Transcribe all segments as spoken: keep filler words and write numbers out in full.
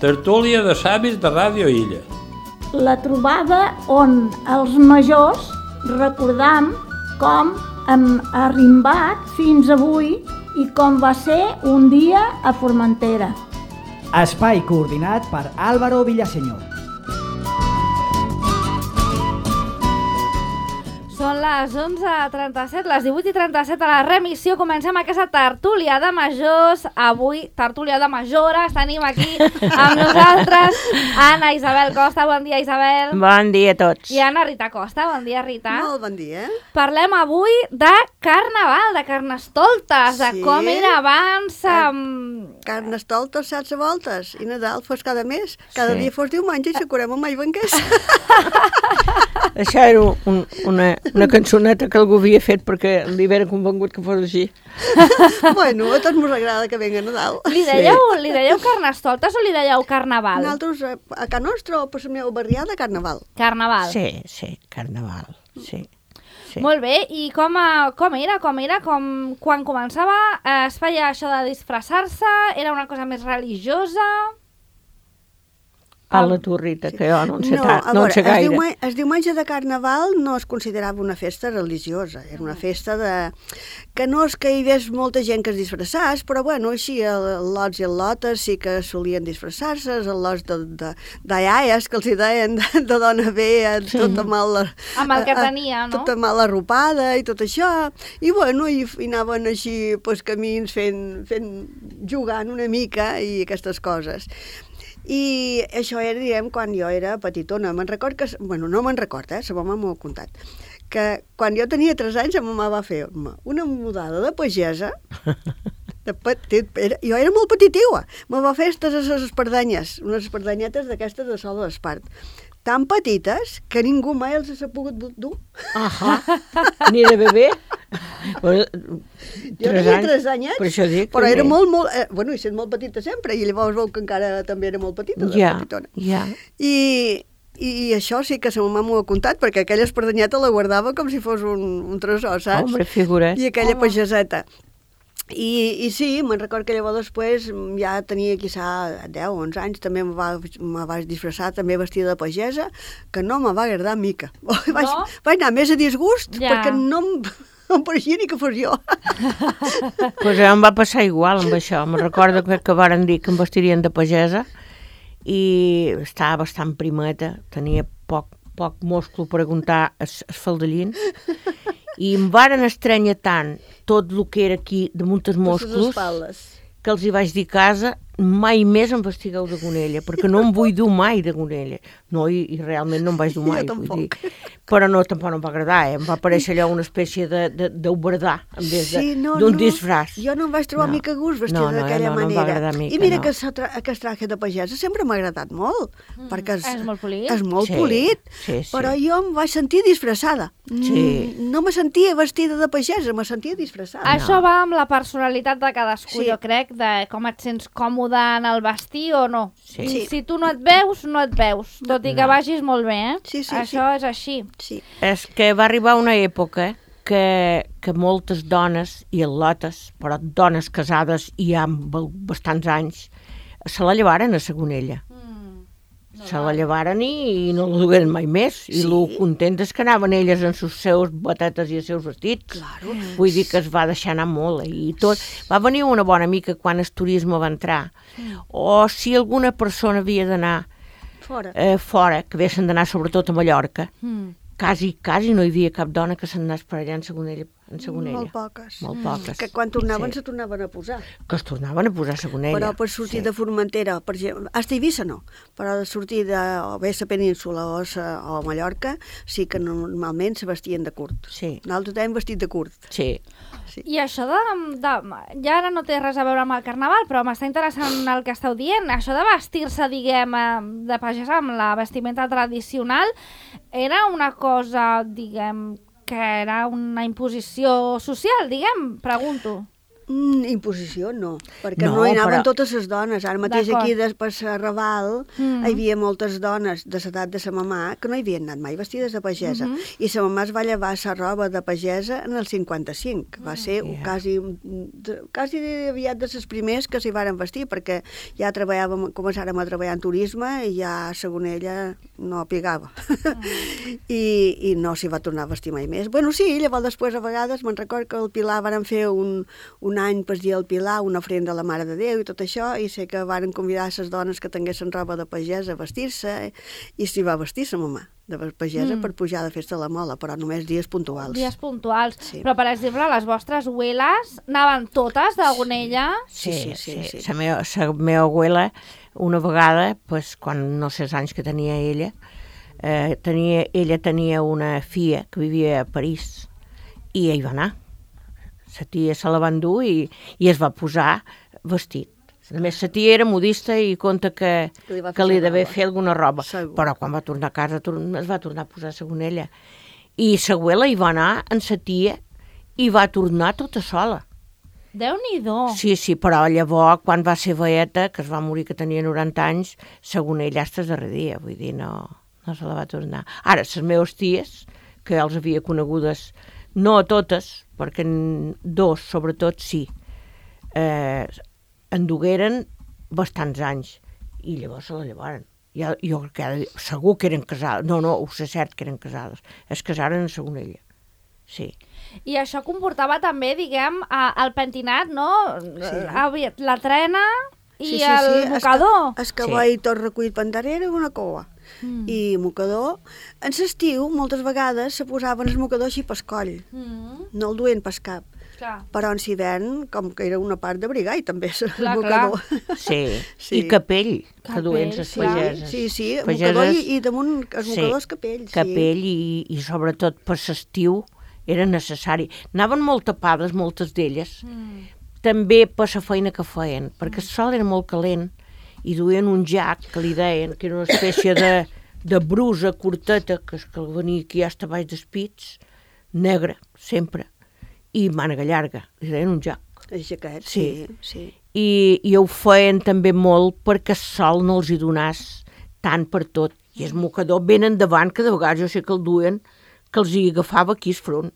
tertúlia de savis de Ràdio Illa. La trobada on els majors recordam com hem arrimbat fins avui i com va ser un dia a Formentera. Espai coordinat per Álvaro Villaseñor. Són les onze i trenta-set, les divuit i trenta-set a la remissió. Comencem aquesta tertúlia de majors. Avui, tertúlia de majores. Tenim aquí amb nosaltres Anna Isabel Costa. Bon dia, Isabel. Bon dia a tots. I Anna Rita Costa. Bon dia, Rita. Molt bon dia. Parlem avui de carnaval, de carnestoltes, de Sí. com era abans. Amb... Carnestoltes, saps a voltes. I Nadal fos cada mes. Cada Sí. dia fos diumenge i s'acurem amb mai banquers. Això era un, una, una cançoneta que algú havia fet perquè li era convengut que fos així. Bueno, a tots mos agrada que venga Nadal. Li dèieu, li dèieu carnestoltes o li dèieu carnaval? Nosaltres a, a Can Nostre o per la meva barriada, Carnaval. Carnaval. Sí, sí, carnaval, sí. sí. Molt bé, i com, a, com era? Com era? Com, quan començava eh, es feia això de disfressar-se? Era una cosa més religiosa? Parla tu, Rita, que jo no en sé, No, tant, a no en veure, sé el, gaire. diumenge, el diumenge de Carnaval no es considerava una festa religiosa, era una festa de... que no és que hi hagués molta gent que es disfressàs, però bueno, així el lots i el lotes sí que solien disfressar-se, els lots de, de, de iaies, que els hi deien de, de dona bé, tota mal... Amb el que tenia, no? Tota mal arropada i tot això, i bueno, i, i anaven així pues, camins fent, fent, jugant una mica i aquestes coses. I això era, diguem, quan jo era petitona. Me'n record que... Bueno, no me'n record, eh? La mama m'ho ha contat. Que quan jo tenia tres anys, la mama va fer una mudada de pagesa. De petit, era, jo era molt petitiua. Me va fer aquestes espardanyes, unes espardanyetes d'aquestes de sol d'espart. Tan petites que ningú mai els ha pogut dur. Ahà, ni de bebè. Bueno, Jo tenia tres anyets, per això dic, però també. era molt, molt... Eh, bueno, i sent molt petita sempre, i llavors veu que encara també era molt petita, de Ja, petitona. ja. I, I això sí que sa mamà m'ho ha contat, perquè aquella espardanyeta la guardava com si fos un, un tresor, saps? Hombre, figura't. I aquella Home. pageseta. I, I sí, me'n record que llavors després ja tenia quizà deu o onze anys, també me, va, me vaig disfressar també vestida de pagesa, que no me va agradar mica. Vaig, No? vaig anar més a disgust, Ja. perquè no em, no em pareixia ni que fos jo. Pues em va passar igual amb això. Me'n recordo que, que varen dir que em vestirien de pagesa i estava bastant primeta, tenia poc, poc musclo per aguantar els, els faldellins, i em varen estrènyer tant tot el que era aquí damunt els Per les musclos espaldes. que els hi vaig dir a casa, mai més em vestigueu de gonella, perquè no em vull dur mai de gonella. No, i, i realment no em vaig dur Jo mai. tampoc. Vull dir. Però no, tampoc no em va agradar, eh? Em va aparèixer allò una espècie de, de, d'oberdar, en vez de, Sí, no, d'un no. disfraç. Jo no em vaig trobar No. mica gust vestida No, no, d'aquella no, no em va manera. agradar mica, I mira no. que sa tra- aquest traje de pagesa sempre m'ha agradat molt, mm, perquè és, és molt polit. és molt Sí, polit, sí, sí. però jo em vaig sentir disfressada. Sí. Mm, No me sentia vestida de pagesa, me sentia disfressada. Això va amb la personalitat de cadascú, Sí. jo crec, de com et sents còmode en el vestir o no. Sí. I Sí. si tu no et veus, no et veus, tot i que No. vagis molt bé, eh? Sí, sí, Això és així. Sí. És que va arribar una època que, que moltes dones, i al·lotes, però dones casades i ja amb bastants anys, se la llevaren a Sagonella. Se la llevaren i, i no la dugueren mai més. I Sí. el contentes que anaven elles en sus seus botetes i els seus vestits. Claro. Vull dir que es va deixar anar molt. Eh? I tot. Va venir una bona mica quan el turisme va entrar. O si alguna persona havia d'anar Fora. eh, fora, que haguessin d'anar sobretot a Mallorca, Mm. quasi, quasi no hi havia cap dona que se'n anés per allà en Sagonella. En Sagonella. Molt poques. Molt poques. Que quan tornaven Sí. se tornaven a posar. Que es tornaven a posar a Sagonella. Però per sortir Sí. de Formentera, per exemple, hasta Eivissa no, però de sortir de o bé a la península o a, o a Mallorca, sí que normalment se vestien de curt. Sí. Nosaltres hem vestit de curt. Sí. Sí. I això de, de... Ja ara no té res a veure amb el carnaval, però m'està interessant el que esteu dient. Això de vestir-se, diguem, eh, de pagesa amb la vestimenta tradicional, era una cosa, diguem, que era una imposició social, diguem, pregunto. Mm, imposició no, perquè No, no, hi anaven però- totes les dones. Ara mateix D'acord. aquí de, per la Raval Mm. hi havia moltes dones de l'edat de sa mamà que no hi havien anat mai vestides de pagesa. Mhm. I sa mamà es va llevar la roba de pagesa en el cinquanta-cinc. Va ser Yeah. quasi, de- quasi aviat de les primers que s'hi varen vestir, perquè ja treballàvem, començàrem a treballar en turisme i ja, segons ella, no pigava. I, I no s'hi va tornar a vestir mai més. Bueno, sí, llavors després a vegades me'n record que al Pilar varen fer un, un any per dia al Pilar, una ofrenda a la Mare de Déu i tot això, i sé que varen convidar les dones que tinguessin roba de pagesa a vestir-se, i s'hi va vestir sa mamà de pagesa Mm. per pujar de festa a la Mola, però només dies puntuals. Dies puntuals. Sí. Però, per exemple, les vostres abueles anaven totes de Gonella? Sí, sí, sí, sí. La meva, la meva abuela, una vegada, pues, quan no sé els anys que tenia ella, eh, tenia, ella tenia una filla que vivia a París i ell va anar. La tia se la va endur i, i es va posar vestit. A més, la tia era modista i conta que, Que li va fer que li la devia roba. fer alguna roba. Segur. Però quan va tornar a casa tor- es va tornar a posar segons ella. I l'abuela hi va anar amb la tia i va tornar tota sola. Déu-n'hi-do. Sí, sí, però llavors, quan va ser veieta, que es va morir que tenia noranta anys, segons ella, hasta el darrer dia, vull dir, no, no se la va tornar. Ara, les meves ties, que els havia conegudes, no a totes, perquè en dos, sobretot, sí, eh, en dugueren bastants anys, i llavors se la llevaren. Ja, jo crec que ara, segur que eren casades, no, no, ho sé cert que eren casades, es casaren segons ella, sí. I això comportava també, diguem, a, el pentinat, no? Sí. Sí. La trena i Sí, sí, el sí, mocador. El cavall tot recollit per darrere, una cova. Mm. I mocador. En l'estiu, moltes vegades, se posaven el mocador així pel coll. Mm. No el duien pel cap. Clar. Però en l'hivern, com que era una part d'abrigar, i també el Clar, mocador. Sí, Sí. i capell, que Capell, duien les sí. pageses. Sí, sí, el Pageses, mocador i, i damunt els sí, mocadors capell. Sí. capell i, i sobretot per l'estiu era necessari. Anaven molt tapades, moltes d'elles, Mm. també per la feina que feien, perquè el sol era molt calent i duien un jac, que li deien, que era una espècie de, de brusa curteta, que, és que venia aquí hasta baix dels pits, negra, sempre, i mànega llarga, li deien un jac. Els jaquets, Sí. sí, sí. I, i ho feien també molt perquè el sol no els hi donàs tant per tot. I el mocador ben endavant, que de vegades jo sé que el duien, que els hi agafava aquí al front.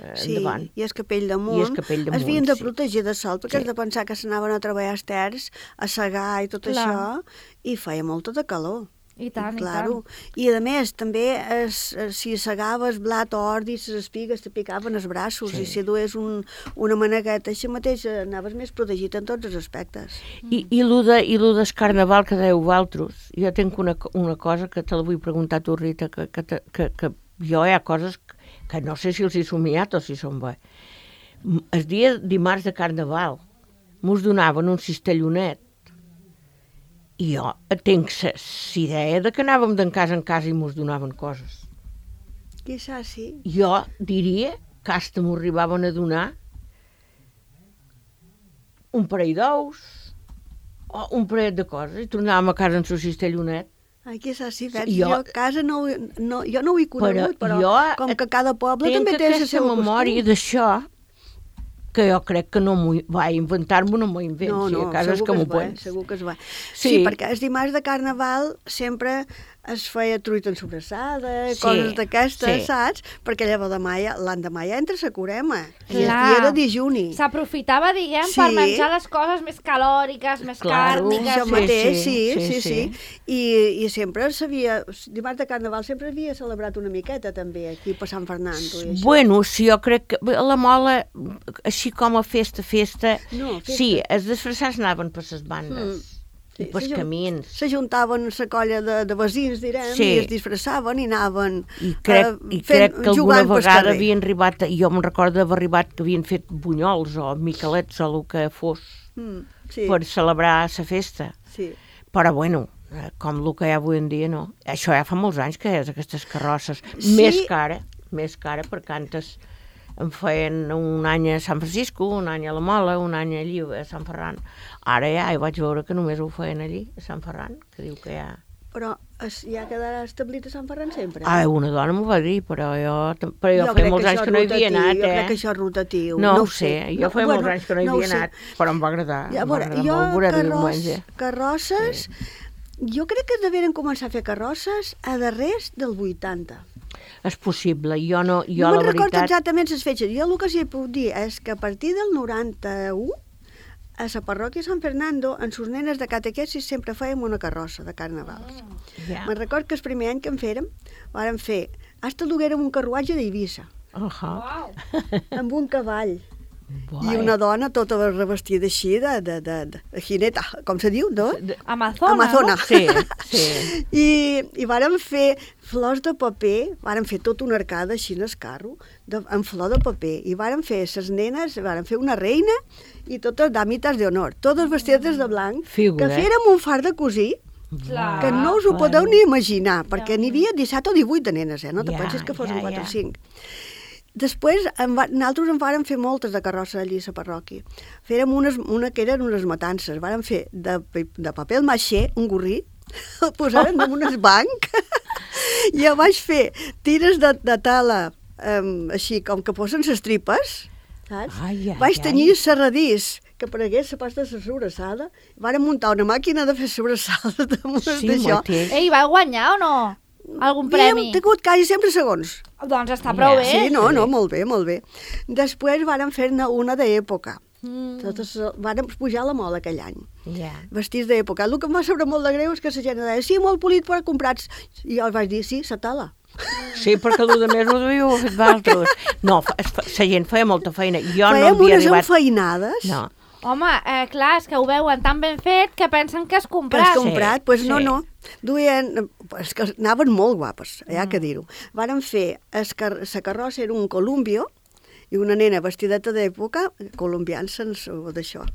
Eh, Sí, endavant. i el capell damunt, I el capell damunt, es havien de sí. protegir de sol, perquè Sí. has de pensar que s'anaven a treballar als terç, a segar i tot Clar. això, i feia molta de calor. I tant, i claro. tant. I a més, també, es, es, si segaves blat o ordi, les espigues te picaven els braços, Sí. i si dues un, una manegueta, així mateix eh, anaves més protegit en tots els aspectes. I, i lo de, i lo del carnaval que dèieu vosaltres, jo tinc una, co- una cosa que te la vull preguntar a tu, Rita, que, que, te- que, que jo hi ha coses que, que no sé si els he somiat o si són bé. M- El dia dimarts de carnaval mos donaven un cistellonet i jo tinc la idea de que anàvem d'en casa en casa i mos donaven coses. Quizás sí. Jo diria que hasta m'ho arribaven a donar un parell d'ous o un parell de coses i tornàvem a casa amb el cistellonet. Ai, quizás sí, veig, Jo- jo, a casa no, ho- no, jo no ho he conegut, però, jo com que cada poble tinc també té la aquesta seva memòria costum. d'això que jo crec que no m'ho va inventar-m'ho, no m'ho invento, No, si no, a casa és segur que que m'ho es va, pots. segur que es va. Sí. Sí, perquè el dimarts de Carnaval sempre es feia truita en sobrassada, Sí, coses d'aquestes, sí. saps? Perquè llavors demà ja, l'endemà ja entra la curema. I el Clar. dia de dijuni. S'aprofitava, diguem, Sí. per menjar les coses més calòriques, més Claro, càrniques. Això sí, mateix, sí, sí, sí, sí, sí. sí. I, I sempre s'havia... Dimarts de Carnaval sempre havia celebrat una miqueta, també, aquí per Sant Fernando i això. Bueno, sí, jo crec que bé, la Mola, així com a festa, festa, No, festa. sí, els disfressats anaven per les bandes Sí, i pels s'ajun- camins. S'ajuntaven la colla de, de veïns, direm, Sí. i es disfressaven i anaven I crec, eh, i fent- crec que alguna jugant pel vegada carrer. havien arribat, jo me'n recordo d'haver arribat que havien fet bunyols o miquelets o el que fos Mm, sí, per celebrar la festa. sí. Però bueno, eh, com el que hi ha avui en dia, no. Això ja fa molts anys que és, aquestes carrosses. Sí. Més cara, més cara, perquè antes en feien un any a Sant Francisco, un any a la Mola, un any allí a Sant Ferran. Ara ja hi vaig veure que només ho feien allí, a Sant Ferran, que diu que ja... però es, ja quedarà establit a Sant Ferran sempre. Ah, una dona m'ho va dir, però jo, però jo, jo feia molts anys que no hi havia anat, eh? Jo crec que això és rotatiu. No, no ho sé, jo no, feia bueno, molts anys que no hi no havia anat, però em va agradar. Ja, em va veure, agradar jo molt veure-ho carros, diumenge. carrosses, sí. Jo crec que deveren començar a fer carrosses a darrers del vuitanta. És possible, jo no, jo no la me'n recordo veritat... exactament les fetges. Jo el que sí puc dir és que a partir del noranta-u, a la parròquia Sant Fernando, en sus nenes de catequesis sempre fèiem una carrossa de carnavals. Ja. Me'n recordo que el primer any que en fèrem, vàrem fer, hasta duguérem un carruatge d'Eivissa, Uh -huh. amb un cavall. Vai. I una dona tota revestida així de, de, de, de jineta, com se diu, no? Amazona, Amazona. no? Sí, sí. I, i vàrem fer flors de paper, vàrem fer tota una arcada així en el carro, de, amb flor de paper, i vàrem fer ses nenes, vàrem fer una reina i totes dàmites d'honor, totes vestides de blanc, Figura. que fèrem un far de cosir, Clar. que no us ho podeu ni imaginar, perquè n'hi havia disset o divuit de nenes, eh? No te Ja, pensis que fossin ja, quatre ja. o cinc. Després, en va, nosaltres en vàrem fer moltes de carrossa allí a la parròquia. Fèrem unes, una que eren unes matances. Vàrem fer de, de paper maixer, un gorrí, el posaren damunt un banc, i jo vaig fer tires de, de tala, um, així com que posen les tripes, saps? Ai, ai, vaig ai. tenyir serradís, que aparegués la pasta de la sobrassada. Vàrem muntar una màquina de fer sobrassada damunt Sí, d'això. mateix. Ei, va guanyar o no? Algun premi? Hem tingut quasi sempre segons. Doncs està prou Ja. bé. Sí, no, no, molt bé, molt bé. Després vàrem fer-ne una d'època. Mm. Totes, vàrem pujar la mola aquell any, Ja. vestits d'època. El que em va saber molt de greu és que la gent deia, sí, molt polit, però comprats. I jo els vaig dir, sí, la tala. Sí, perquè el de més ho devíeu haver fet d'altres. No, fa- es fa- la gent feia molta feina. Jo no Fèiem havia unes arribat... enfeinades No. Home, eh, clar, és que ho veuen tan ben fet que pensen que és que comprat. has comprat. Doncs pues no, sí. no. Duien, és que anaven molt guapes, hi ha que dir-ho. Vàrem fer, la carrossa era un columbio, i una nena vestideta d'època, colombiant-se d'això.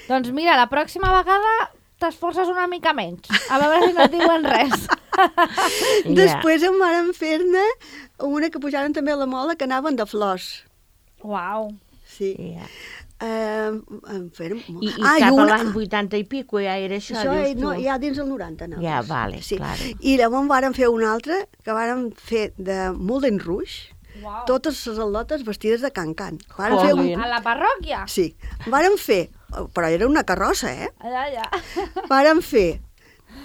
Doncs mira, la pròxima vegada t'esforces una mica menys. A veure si no et diuen res. Ja. Després en vàrem fer-ne una que pujaven també a la mola, que anaven de flors. Uau. Sí. Ja. Uh, en fèrem... I, i Ah, cap una- a l'any vuitanta i pico ja era això, Això dius és, tu? no, ja dins el noranta, no? Ja, vale, claro. I llavors vàrem fer una altra, que vàrem fer de Moulin Rouge, Uau. totes les al·lotes vestides de can-can. Vàrem fer Jolín. un... A la parròquia? Sí, vàrem fer, però era una carrossa, eh? Allà, allà. Vàrem fer,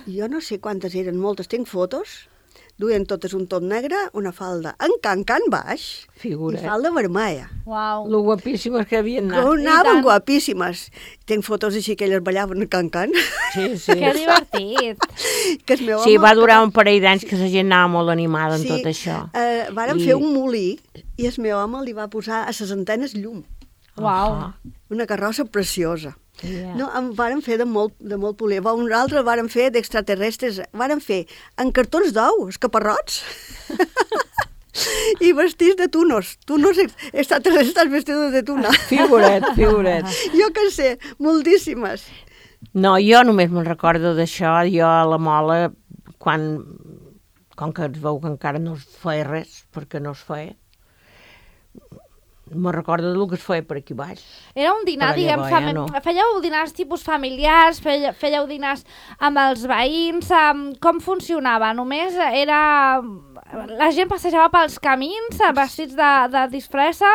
jo no sé quantes eren, moltes, tinc fotos, duien totes un tot negre, una falda en can-can baix Figura. i falda vermella. Uau. Lo guapíssimes que havien Que anat. anaven tant. guapíssimes. Tinc fotos així que elles ballaven en can-can. Sí, sí. Que divertit. Que el meu Sí, home- va durar un parell d'anys que la gent anava molt animada en Sí, tot això. Eh, vàrem I- fer un molí i el meu home li va posar a les antenes llum. Uau. Ah, Una carrossa preciosa. ja. No, en vàrem fer de molt, de molt polir. Un altre vàrem fer d'extraterrestres. Vàrem fer en cartons d'ou, escaparrots. I vestits de tunos. Tunos ex- extraterrestres vestidos de tuna. Figuret, figuret. Jo que sé, moltíssimes. No, jo només me'n recordo d'això, jo a la Mola, quan, com que es veu que encara no es feia res, perquè no es feia, me'n recordo del que es feia per aquí baix. Era un dinar, Però diguem, llavors fami... ja no. fèieu dinars tipus familiars, fèieu, fèieu dinars amb els veïns, amb... com funcionava? Només era... La gent passejava pels camins eh, vestits de, de disfressa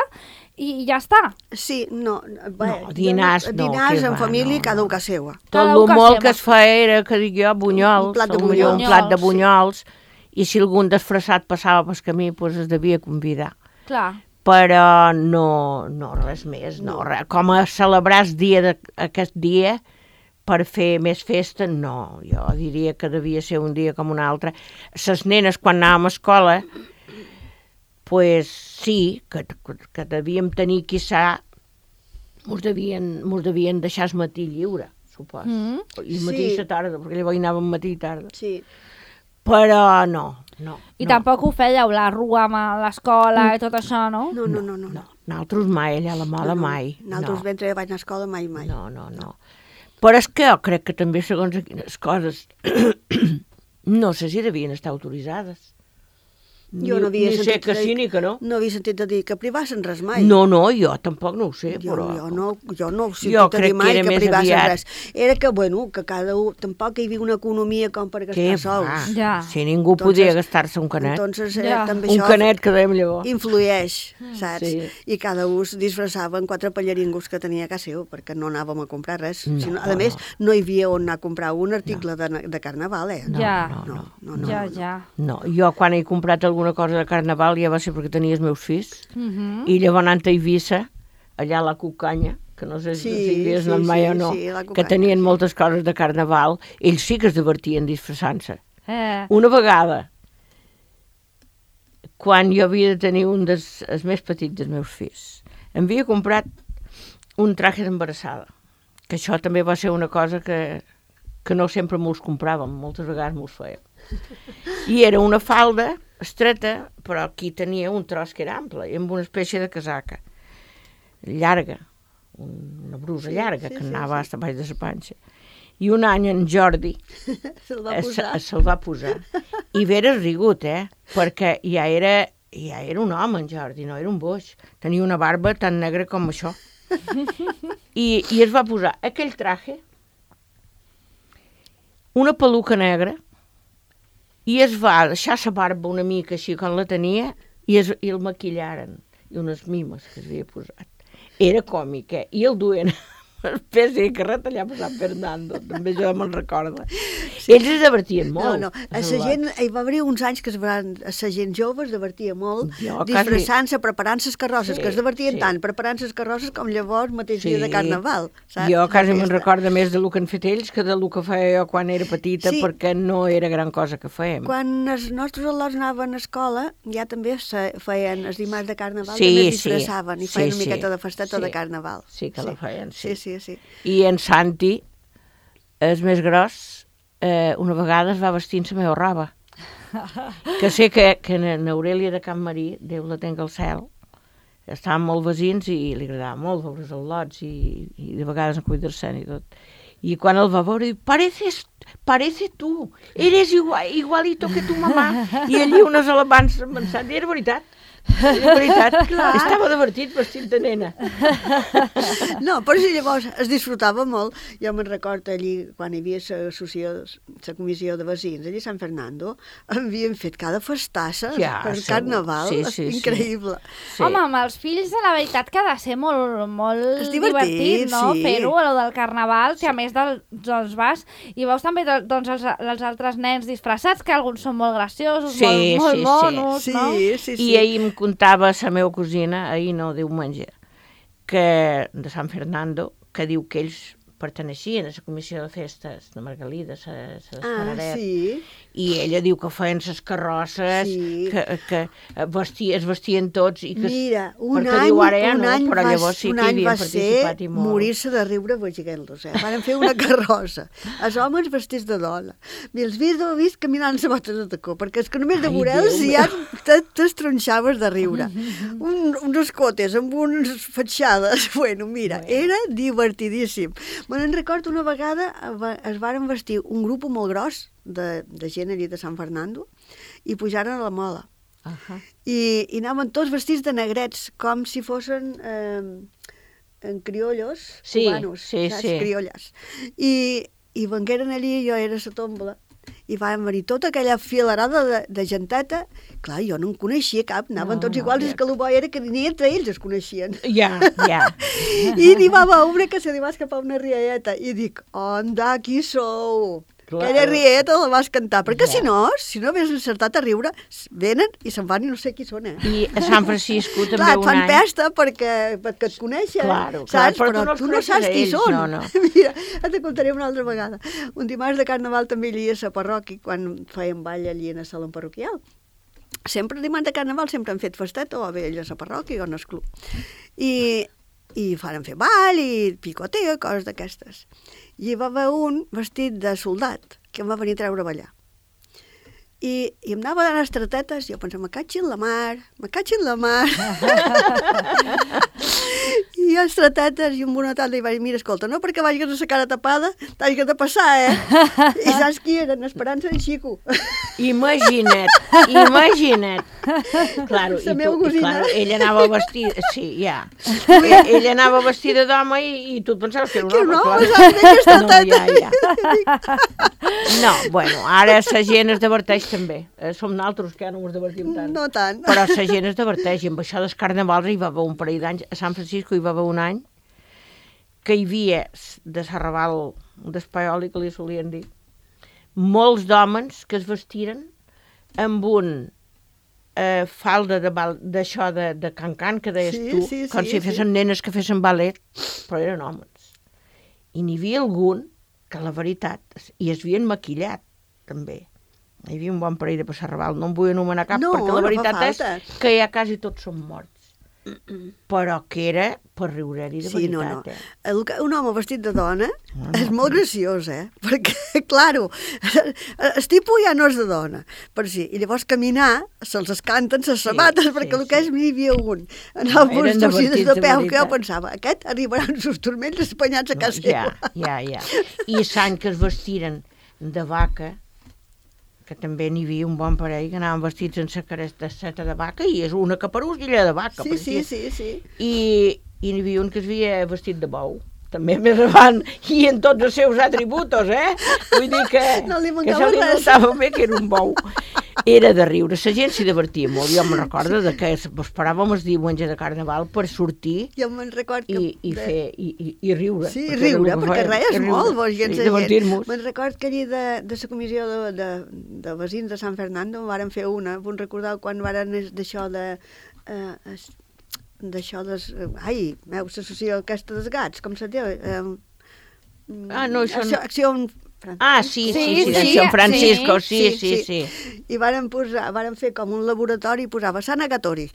i ja està. Sí, no. Bé, No, dinars jo- no, Dinars que en va, família, no, cada no. un a seua. Tot Cada el un que molt seva. que es feia era, que dic jo, bunyols, Un plat de potser un bunyols. plat de Sí. bunyols, i si algun disfressat passava pel camí, doncs es devia convidar. Clar. Però no, no res més, no, res. Com a celebrar el dia de, aquest dia per fer més festa, no. Jo diria que devia ser un dia com un altre. Les nenes, quan anàvem a escola, pues sí, que, que, que devíem tenir, quizà, mos devien, mos devien deixar el matí lliure, supos. Mm. I el matí i Sí. la tarda, perquè llavors hi anàvem matí i tarda. Sí. Però no, no. I no. tampoc ho fèieu, la rua a l'escola i tot això, no? No, no, no, no. No, nosaltres mai, allà a la Mola mai. Nosaltres no. mentre vaig anar a escola mai, mai. No, no, no. Però és que jo crec que també, segons quines coses, no sé si devien estar autoritzades. Jo no havia ni sé sentit que a sí dir- ni que no. No havia sentit a dir que privassen res mai. No, no, jo tampoc no ho sé, Jo, però... jo, no, jo no ho he sentit Jo a crec dir que mai era que, més privassen aviat- res. Era que, bueno, que cada un... Tampoc hi havia una economia com per gastar Què sols. va? Ja. Si ningú Entonces- podia gastar-se un canet. Entonces, eh, Ja. també Un això canet que dèiem llavors. influeix, saps? Sí. I cada un es disfressava en quatre pallaringos que tenia a casa seu, perquè no anàvem a comprar res. No, sinó, a no, més, no. no hi havia on anar a comprar un article de, de carnaval, eh? No, Ja. no, no. no, no. Ja, ja. No, jo quan he comprat alguna cosa de carnaval ja va ser perquè tenia els meus fills, Mhm. i llavors anant a Eivissa, allà a la Cucanya, que no sé si Sí, si hi havies sí, anat mai sí, o no, sí, la que Cucanya, tenien sí. moltes coses de carnaval, ells sí que es divertien disfressant-se. Eh. Una vegada, quan jo havia de tenir un dels els més petits dels meus fills, em havia comprat un traje d'embarassada, que això també va ser una cosa que, que no sempre mos compràvem, moltes vegades mos fèiem. I era una falda estreta, però aquí tenia un tros que era ample, i amb una espècie de casaca llarga, una brusa Sí, llarga, sí, que sí, anava sí. fins a baix de la panxa. I un any en Jordi Se'l va es- posar. es- se'l va posar. I veres rigut, eh? Perquè ja era, ja era un home, en Jordi, no era un boix. Tenia una barba tan negra com això. I, I es va posar aquell traje, una peluca negra, i es va deixar la barba una mica així com la tenia, i, es, i el maquillaren, i unes mimes que s'havia posat. Era còmic, eh? I el duien una espècie de carret allà per Sant Fernando, també jo me'n recorda. Sí. Ells es divertien No, molt. no, a la gent, hi va haver uns anys que es van, a la gent jove es divertia molt, Jo quasi- disfressant-se, preparant les carrosses, Sí, que es divertien sí. tant, preparant les carrosses com llavors mateix dia de carnaval, saps? Jo quasi La me'n festa. recordo més del que han fet ells que del que feia jo quan era petita, Sí. perquè no era gran cosa que fèiem. Quan els nostres al·lots anaven a escola, ja també se feien els dimarts de carnaval, Sí, també sí. disfressaven i Sí, feien una sí. miqueta de festeta Sí. de carnaval. Sí que la feien, sí. Sí, sí, sí. I en Santi, el més gros, eh, una vegada es va vestir amb la meva roba. Que sé que, que en Aurèlia de Can Marí, Déu la tenga al cel, estaven molt vecins i li agradava molt veure els al·lots i, i de vegades en cuidar-se'n i tot. I quan el va veure, diu, pareces, parece tu, eres igual, igualito que tu mamà. I allí unes alemans pensant, i era veritat. Era veritat, clar. Estava divertit vestit de nena. No, però si llavors es disfrutava molt. Jo me'n recordo allí, quan hi havia la comissió de veïns, allí a Sant Fernando, havien fet cada festassa Ja, per segur. carnaval, Sí, sí, sí. increïble. Sí. Home, amb els fills, la veritat que ha de ser molt, molt És divertit, divertit, no? sí. Fer-ho, allò del carnaval, que a més del, doncs vas i veus també doncs, els, els altres nens disfressats, que alguns són molt graciosos, Sí, molt, molt sí, sí. monos, Sí, no? sí, sí. I ahir em contava la meva cosina, ahir no, diumenge, que de Sant Fernando, que diu que ells perteneixien a la comissió de festes de Margalida, la, la Ah, d'Espararet, sí. i ella diu que feien les carrosses, Sí. que, que vestia, es vestien tots, i que, Mira, un perquè any, diu ara ja un no, any però va, llavors sí un que hi any havien va ser participat i molt. morir-se de riure veient-los, eh? Van fer una carrossa. Els homes vestits de dona. I els fills ho he vist caminant amb botes de tacó, perquè és que només de Ai, veure'ls Déu ja te- t'estronxaves de riure. Un, uns escotes amb unes fatxades. Bueno, mira, era divertidíssim. Me'n recordo una vegada va- es varen vestir un grup molt gros de, de gent allí de Sant Fernando i pujaren a la mola. Ahà. I, i anaven tots vestits de negrets, com si fossin eh, en criollos, Sí, cubanos, sí, saps? sí. Criolles. I, i vengueren allí, jo era a la tombola, i van venir tota aquella filarada de, de genteta. Clar, jo no en coneixia cap, anaven No, tots no, iguals, ja. és que el bo era que ni entre ells es coneixien. Ja, ja. I n'hi va haver una que se li va escapar una rialleta, i dic, onda, qui sou? Clar. Aquella rialleta la vas cantar, perquè Ja. si no, si no havies encertat a riure, venen i se'n van i no sé qui són, eh? I a Sant Francisco també Clar, et un fan any... pesta perquè, perquè et coneixen, Claro, clar, saps? però Però, tu no els tu no coneixes saps a qui ells, són. no, no. Mira, et contaré una altra vegada. Un dimarts de carnaval també allí a la parròquia, quan feien ball allí en el saló parroquial. Sempre dimarts de carnaval sempre han fet festeta, o bé ells a la parròquia o en el club. I, i faren fer ball i picoteo i coses d'aquestes. I hi va haver un vestit de soldat que em va venir a treure a ballar. I, i em anava donant estretetes, i jo pensava, me caig en la mar, me caig en la mar. I jo estretetes, i un bona tarda li vaig dir, mira, escolta, no perquè vagis a la cara tapada, t'has de passar, eh? I saps qui eren? Esperança en Xico. Imagina't, imagina't. Claro, i, La meva tu, i cosina. claro, ella anava vestida, sí, ja. Ella, ella anava vestida d'home i, i tu et pensaves que era un Que home, no, clar. saps que aquesta No, ja, ja. No, bueno, ara la gent es diverteix també. Eh, som naltros que ja no ens divertim tant. No tant. Però la gent es diverteix. I amb això dels carnavals hi va haver un parell d'anys. A Sant Francisco hi va haver un any que hi havia de Serraval, d'Espaioli, que li solien dir, molts d'homes que es vestiren amb un eh, falda de bal- d'això de, de cancan, que deies Sí, tu, sí, com sí, si fessin sí. nenes que fessin ballet, però eren homes. I n'hi havia algun que, la veritat, i es havien maquillat, també. Hi havia un bon parell de Passarraval, no em vull anomenar cap, No, perquè la no fa veritat és falta. que ja quasi tots són morts. Però que era per riure-hi de Sí, no, veritat, no. eh? El que- Un home vestit de dona no. és molt graciós, eh? Perquè, claro, el tipus ja no és de dona, per si. I llavors caminar se'ls escanten les sabates, sí, perquè el sí. que és n'hi havia un. En No, el eren bus torcides divertits, de de peu, que jo veritat. pensava, aquest arribarà amb els turmells espanyats a No, casa ja, seva. ja, ja. I l'any que es vestiren de vaca, que també n'hi havia un bon parell que anaven vestits en sa caresta seta de vaca, i és una caparusguilla de vaca. Sí, per sí, aquí. sí, sí. I, i n'hi havia un que es havia vestit de bou, també més avant, i en tots els seus atributos, eh? Vull dir que, No li que mancava se li res. notava bé que era un bou. Era de riure, la gent s'hi divertia molt. Jo me'n recordo de que esperàvem el diumenge de Carnaval per sortir Jo me'n record que... i, i, de- fer, i, i, i riure. Sí, perquè era el riure, que perquè fèiem, res, és riure. molt, vos, Sí, gens de gent. divertir-nos. Me'n record que allí de, de la comissió de, de, de veïns de Sant Fernando varen fer una, vull recordar quan varen es- d'això de... Eh, es- d'això des... Ai, meu, l'associació aquesta dels gats, com se diu? Eh, Ah, no, això no- acció, acció Ah, sí, sí, sí, Sí, de sí, Sant Francisco, sí, sí, sí, sí. sí. sí. I varen, posar, varen fer com un laboratori i posava Sant Agatori.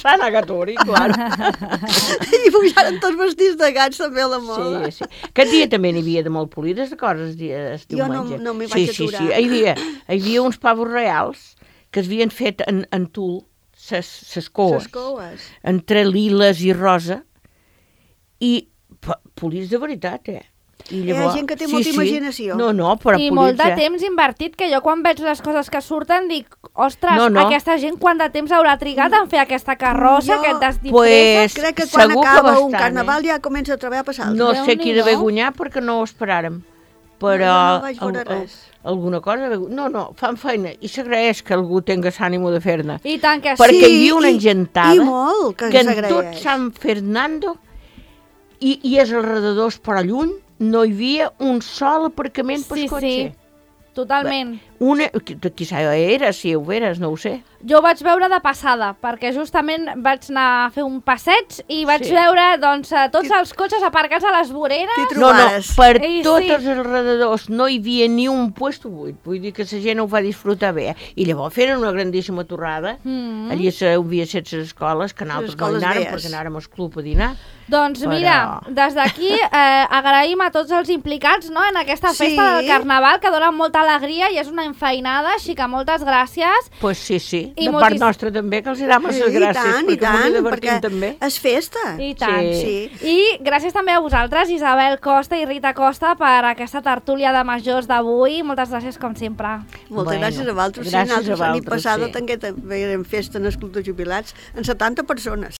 Sant Agatori, clar. I pujaren tots vestits de gats també a la moda. Sí, sí. Aquest dia també n'hi havia de molt polides de coses, el Jo no- diumenge. no m'hi sí, vaig sí, aturar. sí, hi havia, hi havia uns pavos reals que es havien fet en, en tul, ses, ses coes, Les coes. entre liles i rosa, i pa- polits de veritat, eh? I Hi ha gent que té molta imaginació. No, no, però I polits, molt de eh? temps invertit, que jo quan veig les coses que surten dic, ostres, No, no. aquesta gent quant de temps haurà trigat en fer aquesta carrossa, Jo- aquest desdisfressa? Pues, Crec que quan segur que acaba un bastant, carnaval eh? ja comença a treballar a passar. No sé qui de Déu-n'hi-do. guanyar perquè no ho esperàrem. Però No, jo no vaig veure al- al- res. alguna cosa... No, no, fan feina i s'agraeix que algú tinga l'ànimo de fer-ne. I tant que sí. Perquè Sí, hi havia una i- engentada i molt que que en s'agraeix. tot San Fernando i, i als alrededors, però lluny, no hi havia un sol aparcament per Sí, cotxe. sí, totalment. Una, qui- quizà era, si ho veres, no ho sé. Jo ho vaig veure de passada, perquè justament vaig anar a fer un passeig i vaig Sí. veure doncs, eh, tots els cotxes aparcats a les voreres. T'hi No, no, trobares. per I tots sí. els alrededors no hi havia ni un puesto buit. Vull dir que la gent ho va disfrutar bé. I llavors feren una grandíssima torrada. Mm. Allí se havia set les escoles, que nosaltres no hi escoles anàrem veies. perquè anàrem al club a dinar. Doncs Però- mira, des d'aquí eh, agraïm a tots els implicats, no?, en aquesta Sí. festa del Carnaval, que dona molta alegria i és una enfeinada, així que moltes gràcies. Pues sí, sí, I de moltis- part nostra també, que els hi dàvem les Sí, gràcies, i tant, perquè i tant, ens hi divertim perquè també. és festa. I tant. Sí. I gràcies també a vosaltres, Isabel Costa i Rita Costa, per aquesta tertúlia de majors d'avui. Moltes gràcies, com sempre. Moltes Bueno, gràcies a vosaltres. gràcies Sí, nosaltres a la nit vosaltres, passada sí. també també érem festa en els clubs de jubilats amb setanta persones.